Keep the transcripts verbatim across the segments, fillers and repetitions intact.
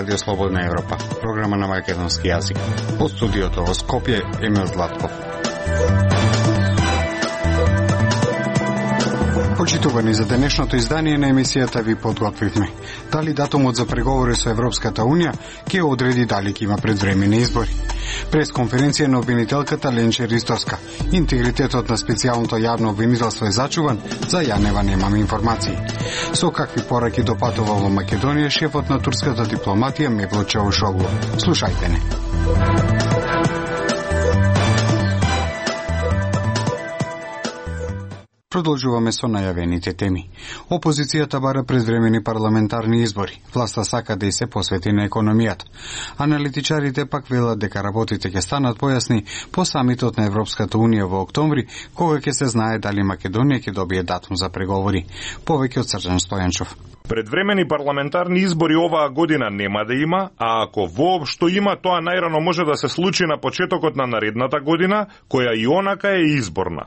Радио Слободна Европа, програма на македонски јазик. Од студиото во Скопје, Емил Златков. Почитувани, за денешното издание на емисијата ви подготвивме. Дали датумот за преговори со Европската Унија ќе одреди дали ќе има предвремени избори. Прес конференција на обвинителката Ленче Ристовска. Интегритетот на специјалното јавно обвинителство е зачуван, за Јанева немаме информации. Со какви пораки допатувал во Македонија шефот на турската дипломатија Мевлут Чавушоглу. Слушајте не. Продолжуваме со најавените теми. Опозицијата бара предвремени парламентарни избори. Власта сака да и се посвети на економијата. Аналитичарите пак велат дека работите ќе станат појасни по самитот на Европската Унија во октомври, кога ќе се знае дали Македонија ќе добие датум за преговори. Повеќе од Срđan Стојанчов. Предвремени парламентарни избори оваа година нема да има, а ако воопшто има, тоа најрано може да се случи на почетокот на наредната година, која и онака е изборна.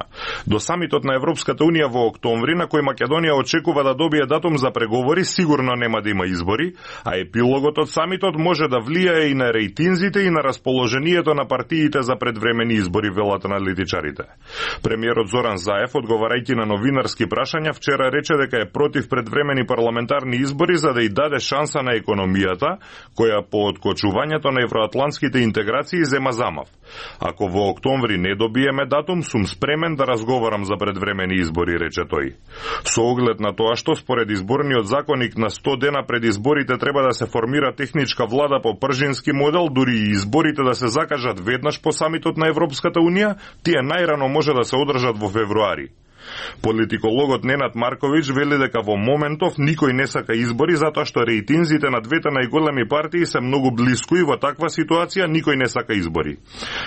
До самитот на Европската Унија во октомври, на кој Македонија очекува да добие датум за преговори, сигурно нема да има избори, а епилогот од самитот може да влијае и на рейтинзите и на расположението на партиите за предвремени избори, велат аналитичарите. Премиерот Зоран Заев, одговарајќи на новинарски прашања, вчера рече дека е против предвремени парламентарни избори за да и даде шанса на економијата, која по откочувањето на евроатлантските интеграции зема замав. Ако во октомври не добиеме датум, сум спремен да разговарам за предвремени избори, рече тој. Со оглед на тоа што според изборниот законник на сто дена пред изборите треба да се формира техничка влада по пржински модел, дури и изборите да се закажат веднаш по самитот на Европската Унија, тие најрано може да се одржат во февруари. Политикологот Ненад Марковиќ вели дека во моментов никој не сака избори затоа што рейтинзите на двете најголеми партии се многу блиску и во таква ситуација никој не сака избори.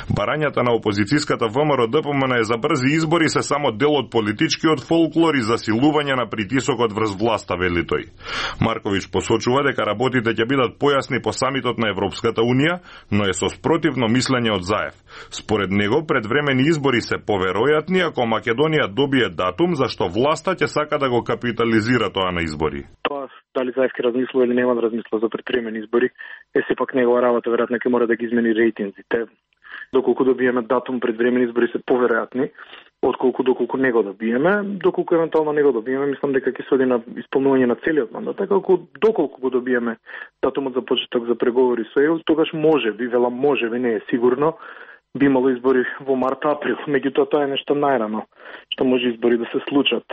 Барањата на опозицијската ВМРО-ДПМН за брзи избори се само дел од политичкиот фолклор и засилување на притисокот врз власта, вели тој. Марковиќ посочува дека работите ќе бидат појасни по самитот на Европската Унија, но е со спротивно мислење од Заев. Според него предвремени избори се поверојатни ако Македонија добие датум, зашто власта ќе сака да го капитализира тоа на избори. Тоа дали Заев ќе размислува или нема да размислува за предвремени избори, е сепак негова работа, веројатно ќе мора да ги измени рейтинзите. Доколку добиеме датум, предвремени избори се поверојатни, отколку доколку не го добиеме, доколку евентуално не го добиеме, мислам дека ќе се оди на исполнување на целиот мандат, така доколку го добиеме датумот за почеток за преговори со ЕУ, тогаш може би, велам може би, не е сигурно, би имало избори во март-април, меѓутоа тоа е нешто најрано, што може избори да се случат.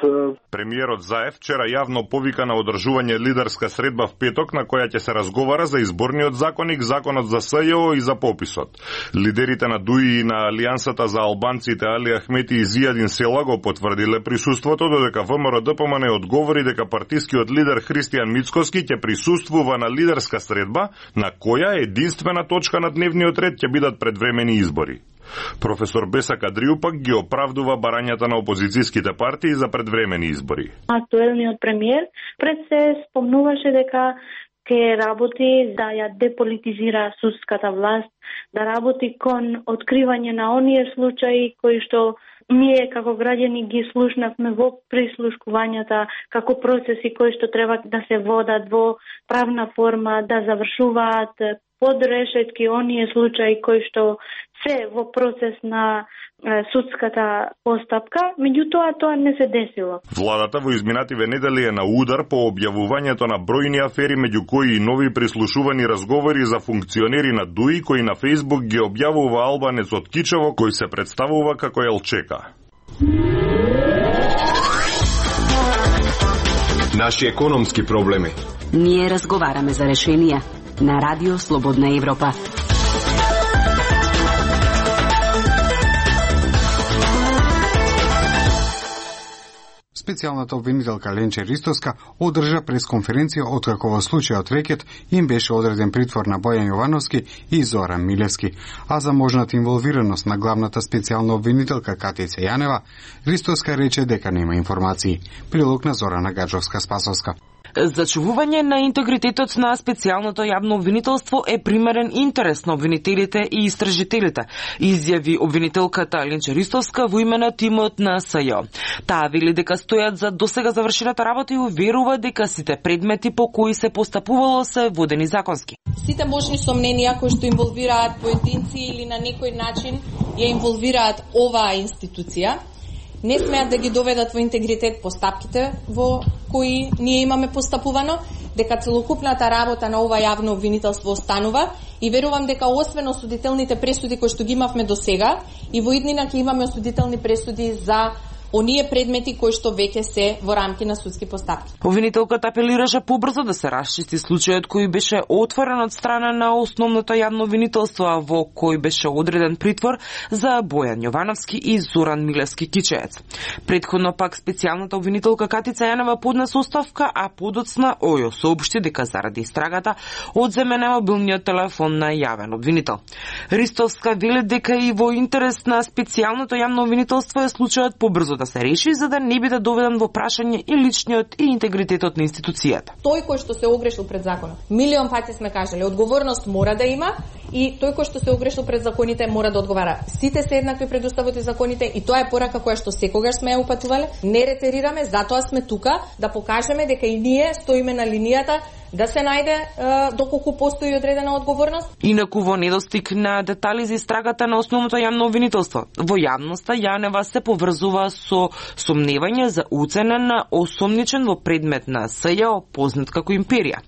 Премиерот Заев вчера јавно повика на одржување лидерска средба в петок, на која ќе се разговара за изборниот законник, законот за СЈО и за пописот. Лидерите на ДУИ и на Алијансата за албанците Али Ахмети и Зијадин Села го потврдиле присуството, додека ВМРО-ДПМН одговори дека партискиот лидер Христијан Мицкоски ќе присуствува на лидерска средба, на која единствена точка на дневниот ред ќе бидат предвремени избори. Професор Беса Кадрију пак ги оправдува барањата на опозицијските партии за предвремени избори. Актуелниот премиер пред се спомнуваше дека ќе работи да ја деполитизира судската власт, да работи кон откривање на оние случаи кои што ние како граѓани ги слушнавме во прислушкувањата, како процеси кои што треба да се водат во правна форма, да завршуваат под решетки оние случаи кои што се во процес на е, судската постапка, меѓутоа тоа не се десило. Владата во изминативе недели е на удар по објавувањето на бројни афери, меѓу кои и нови прислушувани разговори за функционери на ДУИ, кои на Фејсбук ги објавува албанец од Кичево, кој се представува како Елчека. Наши економски проблеми. Ние разговараме за решенија на Радио Слободна Европа. Специјалната обвинителка Ленче Ристовска одржа пресконференција откако во случајот рекет им беше одреден притвор на Бојан Јовановски и Зоран Милевски, а за можната инволвираност на главната специјална обвинителка Катица Јанева, Ристовска рече дека нема информации. Прилог на Зорана Гаджовска-Спасовска. Зачувување на интегритетот на специјалното јавно обвинителство е примерен интерес на обвинителите и истражителите, изјави обвинителката Ленче Ристовска во име на тимот на СЈО. Таа вели дека стојат за досега завршената работа и уверува дека сите предмети по кои се постапувало се водени законски. Сите можни сомненија кои што инволвираат поединци или на некој начин ја инволвираат оваа институција, не смеат да ги доведат во интегритет постапките во кои ние имаме постапувано, дека целокупната работа на ова јавно обвинителство останува и верувам дека освен осудителните пресуди кои што ги имавме до сега, и во иднина ќе имаме осудителни пресуди за оние предмети кои што веќе се во рамки на судски постапки. Обвинителката апелираше побрзо да се расчисти случајот кој беше отворен од страна на основното јавно обвинителство, во кој беше одреден притвор за Бојан Јовановски и Зоран Милевски Кичеец. Претходно пак специјалната обвинителка Катица Јанева поднесе оставка, а подоцна ОЈО соопшти дека заради истрагата одземен е мобилниот телефон на јавен обвинител. Ристовска вели дека и во интерес на специјалното јавно обвинителство е случајот побрзо да се реши, за да не биде доведен во прашање и личниот и интегритетот на институцијата. Тој кој што се огрешил пред законот, милион пати сме кажале, одговорност мора да има и тој кој што се огрешил пред законите мора да одговара. Сите се еднакви пред уставот и законите и тоа е порака која што секогаш сме ја упатувале. Не ретерираме, затоа сме тука да покажеме дека и ние стоиме на линијата да се најде е, доколку постои одредена одговорност. Инаку во недостиг на детали за истрагата на основното јавно обвинителство, во јавноста Јанева се поврзува со сомневање за уцена на осомничен во предмет на СЈО, познат како империја.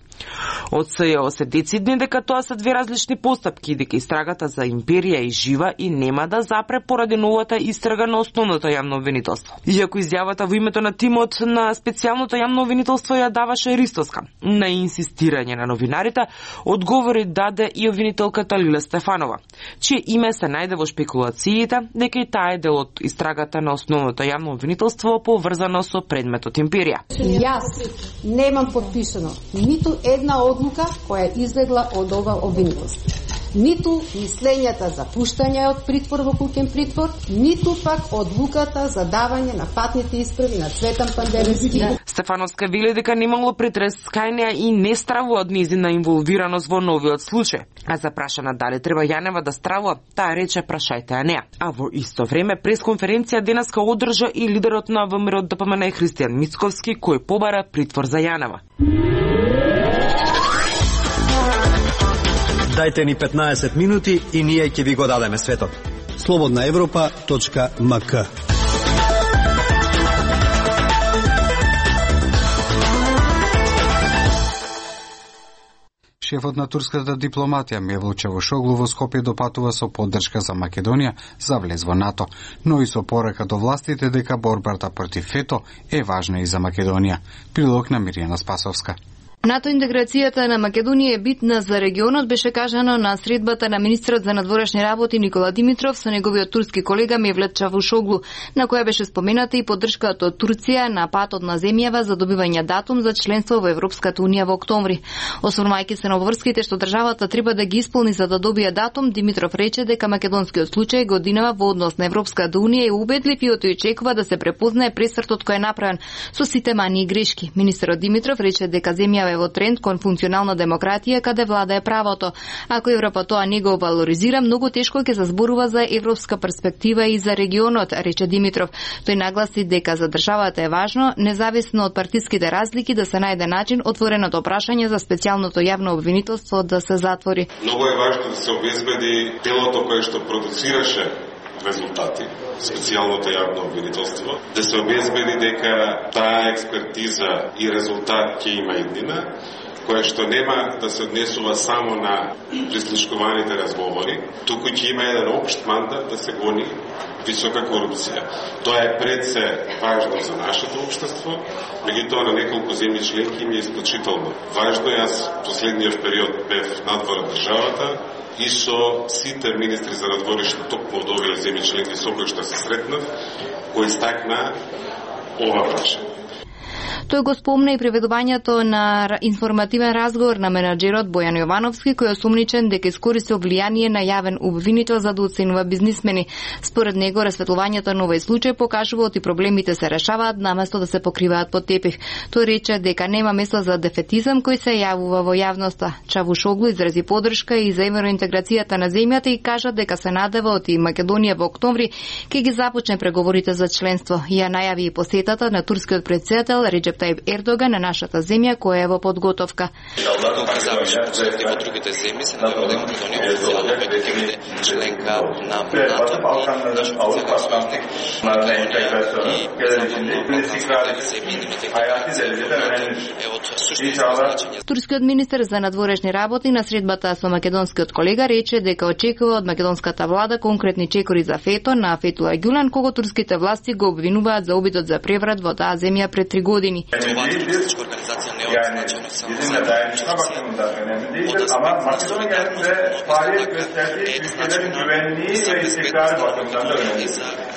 Од СЈО се децидни дека тоа се две различни постапки и дека истрагата за империја е жива и нема да запре поради новата истрага на основното јавно обвинителство. Иако изјавата во името на тимот на специјалното јавно обвинителство ја даваше Ристовска, на инсистирање на новинарите одговори даде и обвинителката Лиле Стефанова, чие име се најде во шпекулациите дека и таа е дел од истрагата на основното јавно обвинителство поврзано со предметот империја. Јас немам подпишано ниту една одлука која излегла од ова обвинителство. Ниту мислењата за пуштање од притвор во куќен притвор, ниту пак одлуката за давање на патните исправи на Цветан Пандеревски. Стефановска вели дека немало претрес кај неа и не стравува од нејзина инволвираност во новиот случај. А за прашана дали треба Јанева да стравува, таа рече прашајте ја неа. А во исто време пресконференција денеска одржа и лидерот на ВМРО ДПМН Христијан Мицковски, кој побара притвор за Јанева. Дајте ни петнаесет минути и ние ќе ви го дадеме светот. слободна европа точка ем ка. Шефот на турската дипломатија Мевлут Чавушоглу во Скопје допатува со поддршка за Македонија за влез во НАТО, но и со порака до властите дека борбата против ФЕТО е важна и за Македонија. Прилог на Миријана Спасовска. НАТО интеграцијата на Македонија е битна за регионот, беше кажано на средбата на министрот за надворешни работи Никола Димитров со неговиот турски колега Мевлут Чавушоглу, на која беше спомената и поддршката од Турција на патот на земјава за добивање датум за членство во Европската унија во октомври. Осврнувајќи се на обврските што државата треба да ги исполни за да добие датум, Димитров рече дека македонскиот случај годинава во однос на Европската унија и убедлив и очекува да се препознае пресвртот кој е направен со сите мани и грешки. Министерот Димитров рече дека земјава во тренд кон функционална демократија каде владае правото. Ако Европа тоа не го валоризира, многу тешко ќе се зборува за европска перспектива и за регионот, рече Димитров. Тој нагласи дека за државата е важно, независно од партиските разлики, да се најде начин отвореното прашање за специјалното јавно обвинителство да се затвори. Многу е важно да се обезбеди телото кое што продуцираше резултати, специјалното јавно обвинителство, да се обезбеди дека таа експертиза и резултат ќе има иднина, која што нема да се однесува само на прислушкуваните разговори, туку ќе има еден општ мандат да се гони висока корупција. Тоа е пред се важно за нашето општество, меѓутоа на неколку земји членки ми е исклучително важно. Јас последниот период бев надвор од државата и со сите министри за надворешни токму од овие земји членки со кои што се сретнав, кои истакна ова прашање. Тој го спомна и преведувањето на информативен разговор на менаџерот Бојан Јовановски, кој е осумничен дека искористил влијание на јавен обвинител за да оценува бизнисмени. Според него, расветлувањето на овој случај покажува оти проблемите се решаваат наместо да се покриваат под тепих. Тој рече дека нема место за дефетизам кој се јавува во јавноста. Чавушоглу изрази поддршка и за евроинтеграцијата на земјата и кажа дека се надева од и Македонија во октомври ќе ги започне преговорите за членство. Ја најави и посетата на турскиот претседател Реџеп Тајип Ердоган на нашата земја која е во подготовка. Во другите земји се надева дека Македонија официјално ќе биде членка на НАТО и нашиот претседател Турскиот министер за надворешни работи на средбата со македонскиот колега рече дека очекува од македонската влада конкретни чекори за Фето на Фетула Ѓулен, кого турските власти го обвинуваат за обидот за преврат во таа земја пред три години. Оваа терористичка организација не е означена само за ама Македонија е пари и за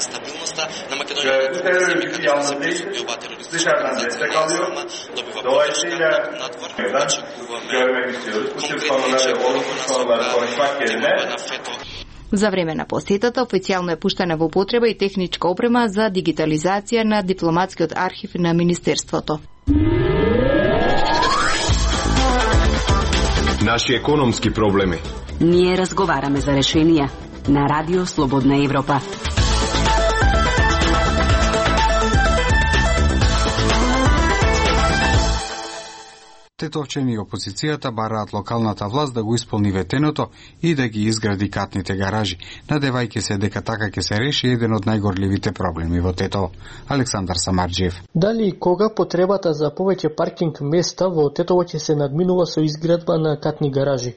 стабилноста на Македонија. За време на посетата официјално е пуштена во употреба и техничка опрема за дигитализација на дипломатскиот архив на Министерството. Наши економски проблеми. Ние разговараме за решенија на Радио Слободна Европа. Тетовчени и опозицијата бараат локалната власт да го исполни ветеното и да ги изгради катните гаражи, надевајќи се дека така ќе се реши еден од најгорливите проблеми во Тетово. Александар Самарџиев. Дали и кога потребата за повеќе паркинг места во Тетово ќе се надминува со изградба на катни гаражи?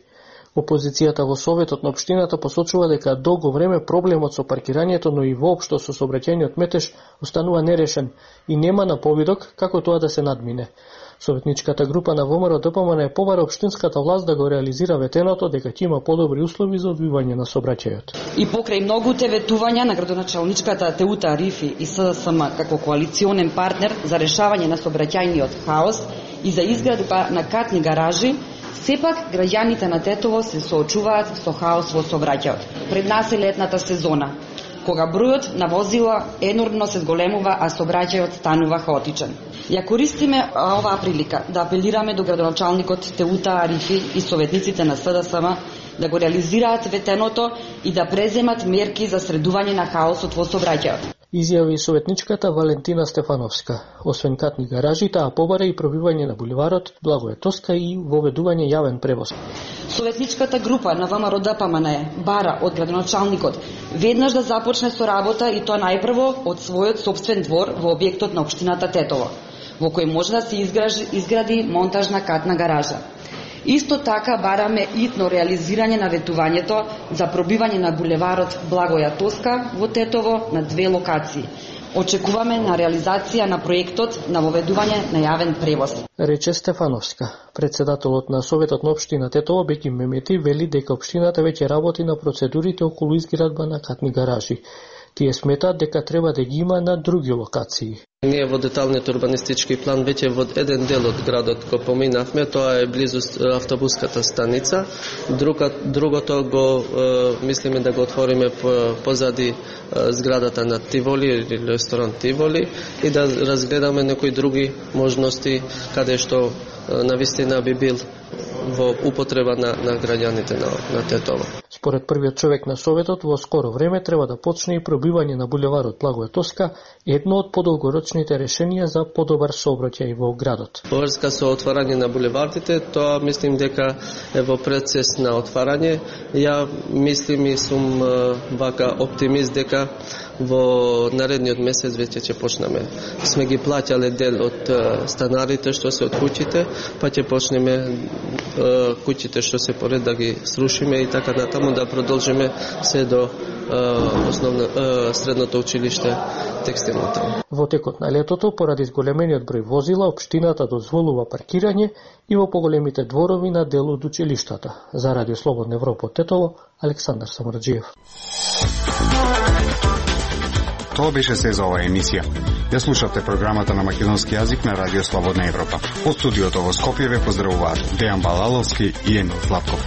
Опозицијата во Советот на општината посочува дека долго време проблемот со паркирањето, но и воопшто со сообраќајниот метеж останува нерешен и нема наповидок како тоа да се надмине. Советничката група на ВМРО Д П М Н е побара општинската власт да го реализира ветеното дека ќе има подобри услови за одвивање на сообраќајот. И покрај многуте ветувања на градоначалничката Теута Арифи и С Д С М како коалиционен партнер за решавање на сообраќајниот хаос и за изградба на катни гаражи, сепак граѓаните на Тетово се соочуваат со хаос во сообраќајот. Пред нас е летната сезона, кога бројот на возила енормно се зголемува, а сообраќајот станува хаотичен. Ја користиме оваа прилика да апелираме до градоначалникот Теута Арифи и советниците на С Д С М да го реализираат ветеното и да преземат мерки за средување на хаосот во сообраќајот. Изјави советничката Валентина Стефановска. Освен катни гаражи, таа побара и пробивање на буливарот Благоја Тоска и воведување јавен превоз. Советничката група на ВМРО Д П М Н бара од градоначалникот веднаш да започне со работа и тоа најпрво од својот сопствен двор во објектот на општината Тетово, во кој може да се изгради, изгради монтажна катна гаража. Исто така бараме итно реализирање на ветувањето за пробивање на булеварот Благоја Тоска во Тетово на две локации. Очекуваме на реализација на проектот на воведување на јавен превоз. Рече Стефановска. Председателот на Советот на општина Тетово Беки Мемети вели дека општината веќе работи на процедурите околу изградба на катни гаражи. Тие сметаат дека треба да ги има на други локации. Ние во деталниот урбанистички план веќе во еден дел од градот го поминавме, тоа е близу автобуската станица. Друга, другото го е, мислиме да го отвориме позади е, зградата на Тиволи или ресторан Тиволи и да разгледаме некои други можности каде што е, навистина би бил во употреба на, на граѓаните на, на Тетово. Според првиот човек на Советот, во скоро време треба да почне и пробивање на булеварот Благоја Тоска, едно од подолгорочните решенија за подобар сообраќај во градот. Во врска со отварање на булевардите, тоа мислим дека е во процес на отварање. Ја мислим и сум вака оптимист дека во наредниот месец веќе ќе почнеме. Сме ги плаќале дел од станарите што се од куќите, па ќе почнеме куќите што се поред да ги срушиме и така натаму да продолжиме се до основно средното училиште текстилното. Во текот на летото, поради зголемениот број возила, општината дозволува паркирање и во поголемите дворови на дел од училиштата. За Радио Слободна Европа од Тетово, Александар Самарџиев. Тоа беше се за оваа емисија. Ја слушавте програмата на македонски јазик на Радио Слободна Европа. Од студиото во Скопје ве поздравуваат Дејан Балаловски и Емил Златков.